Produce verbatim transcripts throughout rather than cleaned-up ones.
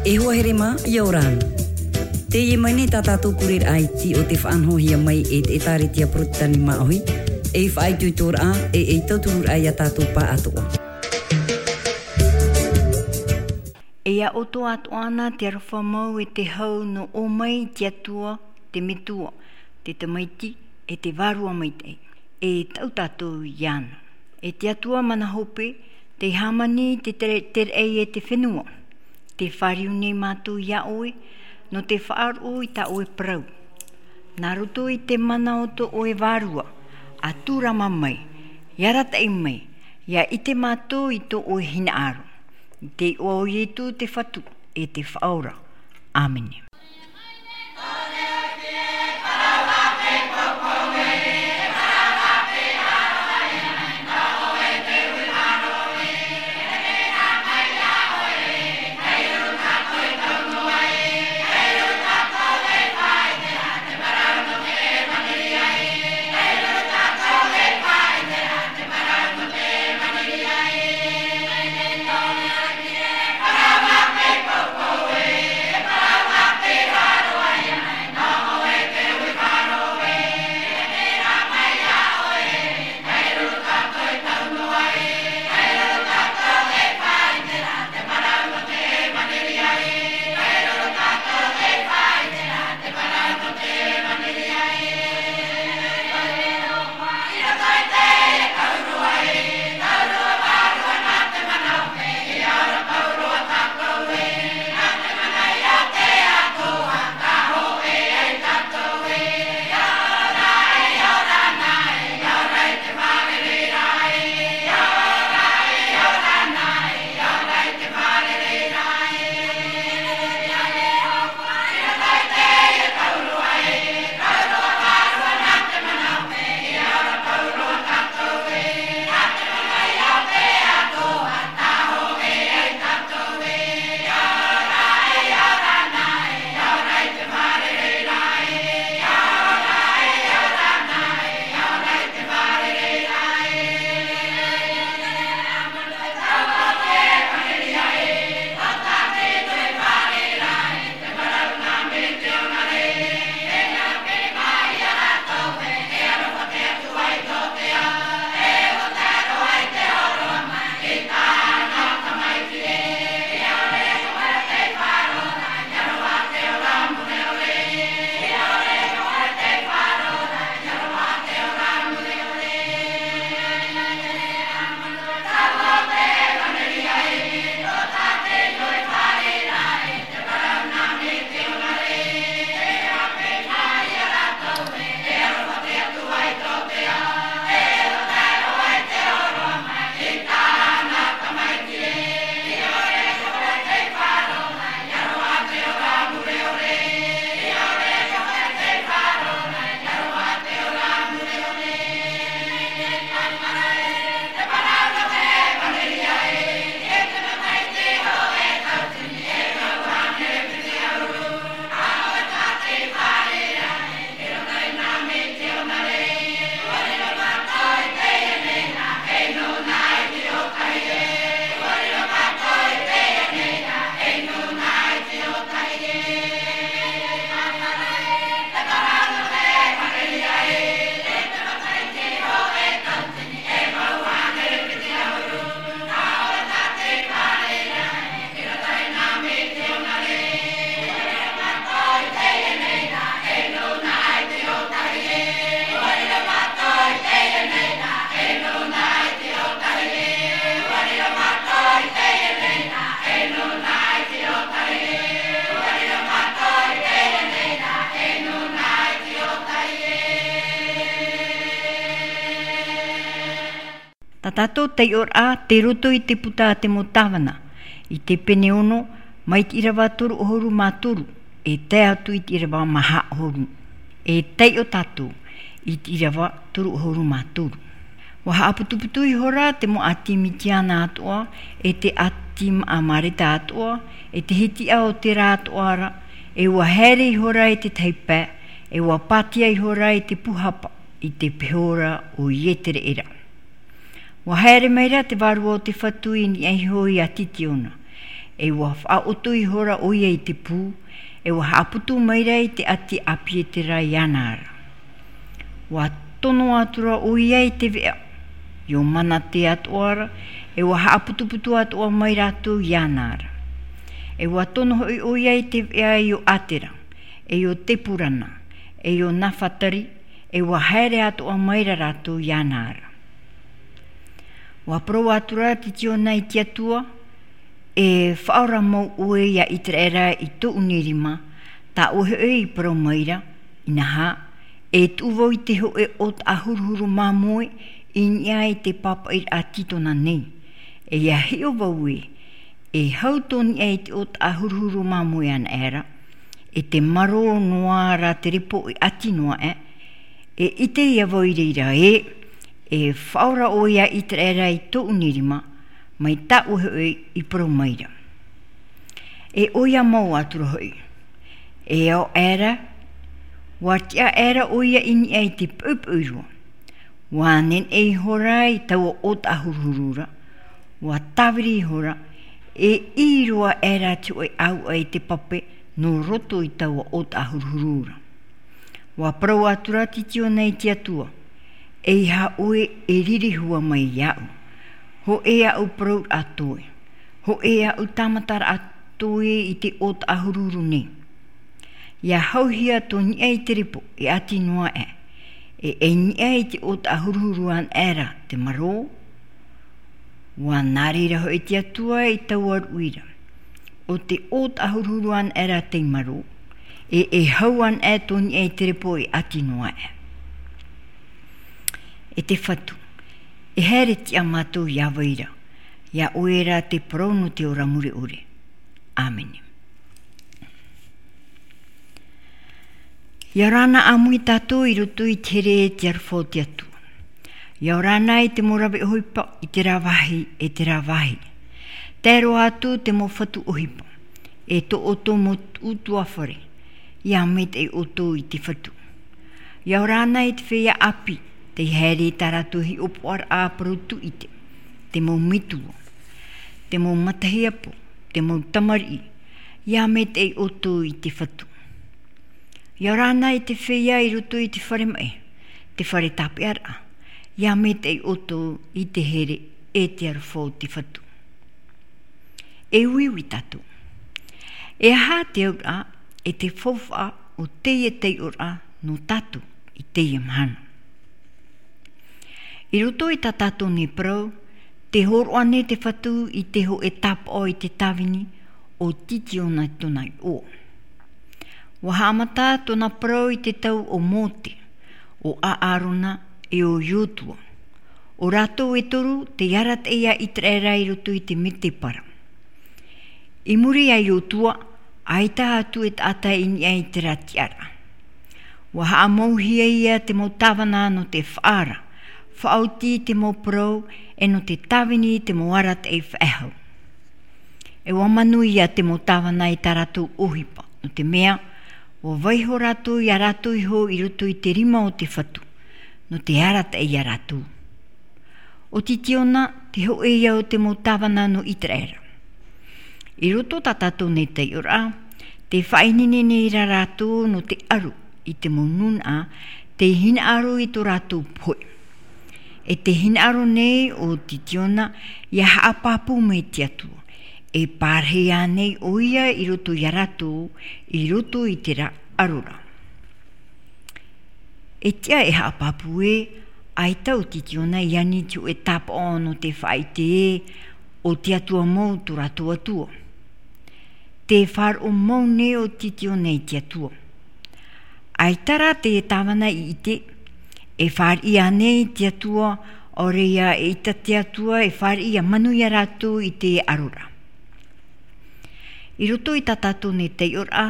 E hoa here mā, ʻia ora na. Teie mai nei tā tātou kureraʻa iti o te faʻanahohia mai e te ʻĒtārētia Porotetani Māʻohi, ei faʻaitoitoraʻa, e ei tauturuʻa ia tātou pāʻatoʻa. E ʻia ʻoto atoʻa na te aroha mau e te hau nō ʻō mai i te Atua, te Metua, te Tamaiti, e te Vārua Maitaʻi, e taʻu tātou iāna. E te Atua mana hope, tei hāmani i te tere-, tereʻi e te fenua, tē fāriu nei mātou iā ʻoe, nō te faʻaroʻo i tā ʻoe parau. Nā roto i te mana o tō ʻoe Vārua, ʻa tūrama mai, ʻia arataʻi mai, ʻia ʻite mātou i tō ʻoe hinaʻaro. I te iʻoa o Ietu te Fatu, e te Faʻaora. ʻĀmene. Tā tātou taiʻoraʻa tei roto i te puta a te mau tāvana, i te pene ono, mai te ʻīrava toru ʻahuru mā toru, e tae atu i te ʻīrava maha ʻahuru. E taiʻo tātou i te ʻīrava toru ʻahuru mā toru. ʻUa haʻaputuputu ihora te mau ʻāti Mitiana atoʻa, e te ʻāti Amareta atoʻa, e te hitiʻa o terā atoʻa ra, e ʻua haere ihora i te tahi pae, e ʻua pātia ihora i te pūhapa, i te peho ra o Ietereʻera. ʻUa haere mai ra te Vārua o te Fatu i niʻa iho ia Titiona, ʻE ua faʻaʻoto ihora ʻoia i te pū, ʻe ua haʻaputu maira i te ʻati a Pietera iāna ra. Ua tono atura ʻoia i te veʻa, ʻio Manate atoʻa ra, ʻe ua haʻaputuputu atoʻa mai rātou iāna ra. ʻE ua tono hoʻi ʻoia i te veʻa ʻio Atera, ʻe ʻio Tepurana, ʻe ʻio Nafatari, ʻe ua haere atoʻa maira rātou iāna ra. Ua parau atura Titiona i te Atua, ʻE faʻaora mau ʻoe iā Iteraera i tōʻu nei rima, tā ʻoe hoʻi i parau maira, inaha, e tuʻu vau i te hōʻē ʻōtaʻa huruhuru māmoe i niʻa i te pāpaʻiraʻa Titona nei. ʻE ʻia hiʻo vau ē, e hau tō niʻa i te ʻōtaʻa huruhuru māmoe anaʻe ra, ʻe te marō noa rā te repo e ʻati noa aʻe, e ʻite ïa vau i reira ē, e faʻaora ʻoe iā Iteraera i tōʻu nei rima, mai tā ʻoe hoʻi i parau maira. ʻE ʻoia mau atura hoʻi, e ao aʻera, ua tiʻa aʻera ʻoia i niʻa i te poʻipoʻi roa. Ua neneʻi ihora i taua ʻōtaʻa huruhuru ra, ua tāviri ihora, e ʻī roa aʻera te hōʻē ʻāuʻa i te pape nō roto i taua ʻōtaʻa huruhuru ra. Ua parau atura Titiona i te Atua, ʻEiaha ʻoe e riri hua mai iāʻu, hōʻē aʻu parauraʻa toe, hōʻē aʻu tāmataraʻa toe i te ʻōtaʻa huruhuru nei. ʻIa hauhia tō niʻa i te repo e ʻati noa aʻe, ʻe ei niʻa i te ʻōtaʻa huruhuru anaʻe ra te marō. Ua nā reira hoʻi te Atua i taua ruʻi ra, ʻo te ʻōtaʻa huruhuru anaʻe ra tei marō, ʻe e hau anaʻe tō niʻa i te repo e ʻati noa aʻe. E te Fatu, e haere tiʻa mātou iā vai ra, iā ʻoe ra te parau nō te ora mure ʻore. ʻĀmene. ʻIa ora na ʻāmui tātou i roto i te here e te aroha o te Atua. ʻIa ora na i te mau rave ʻohipa, i terā vāhi, e terā vāhi. Tae roa atu te mau fatu ʻohipa, e tō ʻoutou mau utuafare, ʻia maitaʻi ʻoutou i te Fatu. ʻIa ora na i te feiā ʻāpī, tei haere i tā rātou hiʻopoʻaraʻa parau tūʻite, te mau metua, te mau matahiapo, te mau tamariʻi, ʻia maitaʻi ʻoutou i te Fatu. ʻIa ora na i te feiā i roto i te fare maʻi, te fare tāpeʻaraʻa, ʻia maitaʻi ʻoutou i te here e te aroha o te Fatu. E uiui tātou. E aha te auraʻa, e te faufaʻa o teie taiʻoraʻa nō tātou i teie mahana? I roto i tā tātou nei parau, tē hōroʻa nei te Fatu i te hōʻē tāpaʻo i te tāvini o Titiona tōna iʻoa. Ua haʻamata tōna parau i te tau o Mōte, o ʻĀrona, ʻe o Iotua. ʻO rātou e toru tei arataʻi iā Iteraera i roto i te mētēpara. I muri iā Iotua, ʻaita atu e taʻata i niʻa i terā tiʻaraʻa. Ua haʻamauhia ïa te mau tāvana nō te faʻaara, faʻaoti i te mau parau, ʻe nō te tāvini i te mau arataʻi faʻehau. ʻE ua manuia te mau tāvana i tā rātou ʻohipa, nō te mea, ua vaiiho rātou iā rātou iho i roto i te rima o te Fatu, nō te arataʻi iā rātou. ʻO Titiona, te hōʻē ïa o te mau tāvana nō Iteraera. I roto tā tātou nei taiʻoraʻa, tē faʻaineine nei ra rātou nō te ʻaro i te mau nūnaʻa, tei hinaʻaro i tō rātou pohe. ʻE tē hinaʻaro nei ʻo Titiona ʻia haʻapāpū mai te Atua, e pārahi ānei ʻoia i roto iā rātou, i roto i terā ʻaro ra. E tiʻa e haʻapāpū ē, ʻaita ʻo Titiona i ani i te hōʻē tāpaʻo nō te faʻaʻite ē, ʻo te Atua mau tō rātou Atua. Tē faʻaroʻo mau nei ʻo Titiona i te Atua. ʻAita rā te tāvana i ʻite, e fāriʻi ānei te Atua, ʻaore ia e ʻita te Atua, e fāriʻi ʻia manuia rātou i te ʻaro ra. I roto i tā tātou nei taiʻoraʻa,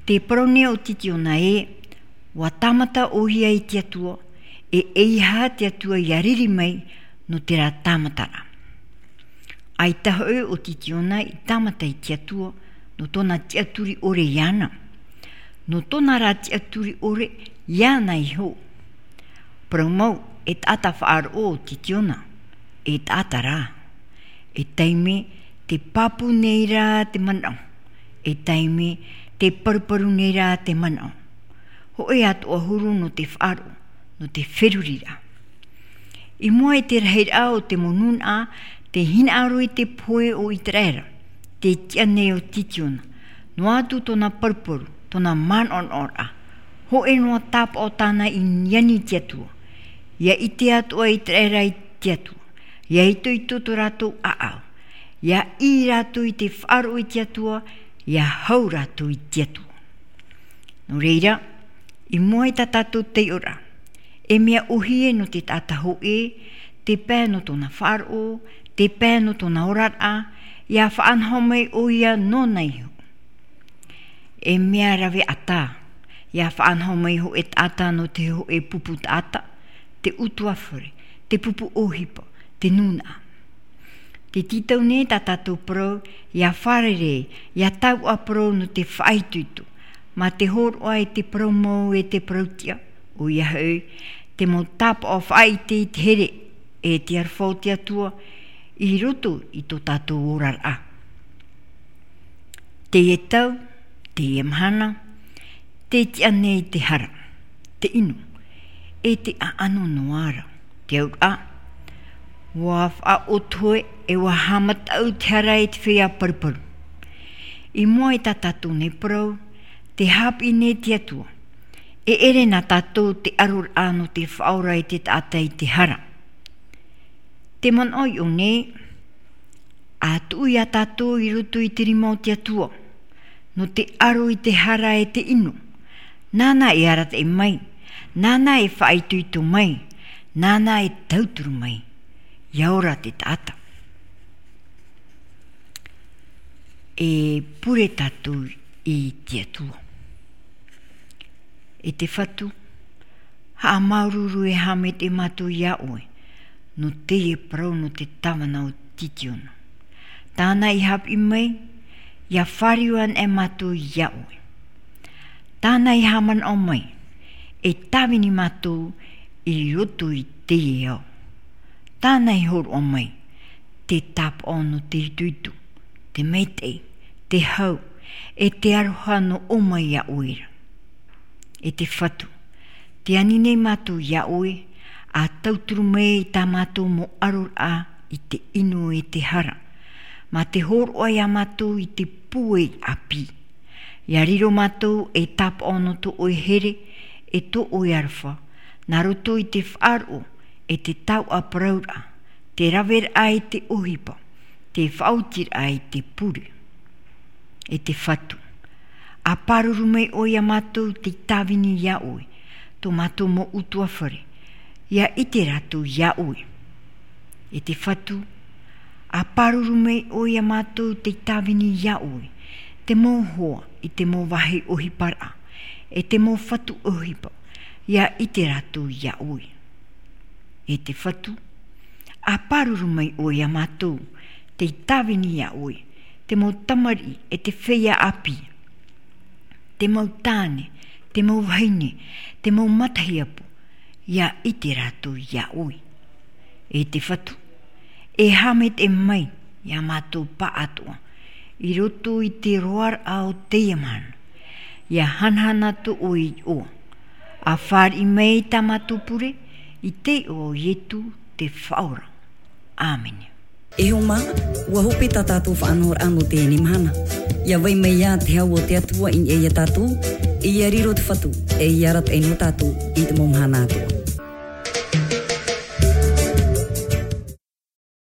tē parau nei ʻo Titiona ē, ʻua tāmata ʻoia i te Atua, ʻe ʻeiaha te Atua ʻia riri mai nō terā tāmataraʻa. ʻAita hoʻi ʻo Titiona i tāmata i te Atua, nō tōna tiʻaturi ʻore iāna. Nō tōna rā tiʻaturi ʻore iāna iho. Parau mau, e taʻata faʻaroʻo ʻo Titiona, e taʻata rā. E taime, Te pāpū nei rā te manaʻo, e taime te paruparu nei rā te manaʻo. Hōʻē atoʻa huru nō te faʻaroʻo, nō te feruriraʻa. I mua i te rahiraʻa o te mau nūnaʻa, tē hinaʻaro i te pohe o Iteraera, tē tiʻa nei ʻo Titiono, noa atu tōna paruparu, tōna manaʻonaʻoraʻa. Hōʻē noa tāpaʻo tāna i ani i te Atua. ʻIa ʻite atoʻa Iteraera i te Atua. ʻIa itoito tō rātou ʻāʻau. ʻIa ʻī rātou i te faʻaroʻo i te Atua, ʻia hau rātou i te Atua. Nō reira, i mua i tā tātou taiʻoraʻa, e mea ʻōhie nō te taʻata hōʻē, te pae nō tōna faʻaroʻo, te pae nō tōna oraraʻa, ʻia faʻanaho mai ʻoia nōna iho. E mea rave ʻatā, ʻia faʻanaho mai hōʻē taʻata nō te hōʻē pupu taʻata, te ʻutuāfare, te pupu ʻohipa, te nūnaʻa. Tē tītau nei tā tātou parau, ʻia fārerei, ʻia taua parau nō te faʻaitoito, mā te hōroʻa i te parau mau e te parau tiʻa, ʻoia hoʻi, te mau tāpaʻo faʻaʻite i te here, e te aroha o te Atua, i roto i tō tātou oraraʻa. Teie tau, teie mahana, tē tiʻa nei te hara, te inu, e te ʻaʻano noa ra, te auraʻa. ʻUa faʻaʻoto e ʻua haʻamata te hara i te feiā paruparu. I mua i tā tātou nei parau, tē haʻapiʻi nei te Atua. E ʻere nā tātou te ʻaroraʻa nō te faʻaora i te taʻata i te hara. Te manaʻo iʻō nei, ʻa tuʻu ia tātou i roto i te rima o te Atua, nō te ʻaro i te hara e te inu. Nāna e arataʻi mai, nāna e faʻaitoito mai, nāna e tauturu mai. ʻIa ora te taʻata. E pure tātou i te Atua. E te Fatu, haʻamāuruuru e haʻamaitaʻi mātou iā ʻoe, nō teie parau nō te tāvana o Titiono. Tāna i haʻapiʻi mai, ʻia fāriu anaʻe mātou iā ʻoe. Tāna i haʻamanaʻo mai, e tāvini mātou i roto i teie ao. Tāna i hōroʻa mai, te tāpaʻo nō te itoito, te maitaʻi, te hau, e te aroha nō ʻō mai iā ʻoe ra. E te Fatu, tē ani nei mātou iā ʻoe, ʻa tauturu mai i tā mātou mau ʻaroraʻa i te inu e te hara, mā te hōroʻa iā mātou i te pūai ʻāpī. ʻIa riro mātou e tāpaʻo nō tō ʻoe here, e tō ʻoe aroha, nā roto i te faʻaroʻo, e te taua parauraʻa, te raveraʻa i te ʻohipa, te faʻaotiraʻa i te pure. E te Fatu, ʻa pāruru mai ʻoe iā mātou tei tāvini iā ʻoe, tō mātou mau ʻutuāfare, ʻia ʻite rātou iā ʻoe. E te Fatu, ʻa pāruru mai ʻoe iā mātou tei tāvini iā ʻoe, te mau hoa i te mau vāhi ʻohiparaʻa, e te mau fatu ʻohipa, ʻia ʻite rātou iā ʻoe. E te Fatu, ʻa pāruru mai ʻoe iā mātou, tei tāvini iā ʻoe, te mau tamariʻi e te feiā ʻāpī, te mau tāne, te mau vahine, te mau matahiapo, ʻia ʻite rātou iā ʻoe. E te Fatu, e haʻamaitaʻi mai iā mātou pāʻatoʻa, i roto i te roaraʻa o teie mahana, ʻia hanahana tō ʻoe iʻoa, ʻa fāriʻi mai tā mātou pure, i te iʻoa o Ietu te Faʻaora. ʻĀmene. E hoa mā, ʻua hope tā tātou faʻanahoraʻa nō teie mahana. ʻIa vai mai ā te hau o te Atua i niʻa iā tātou, e ʻia riro te Fatu, e ʻia arataʻi nō tātou i te mau mahana atoʻa.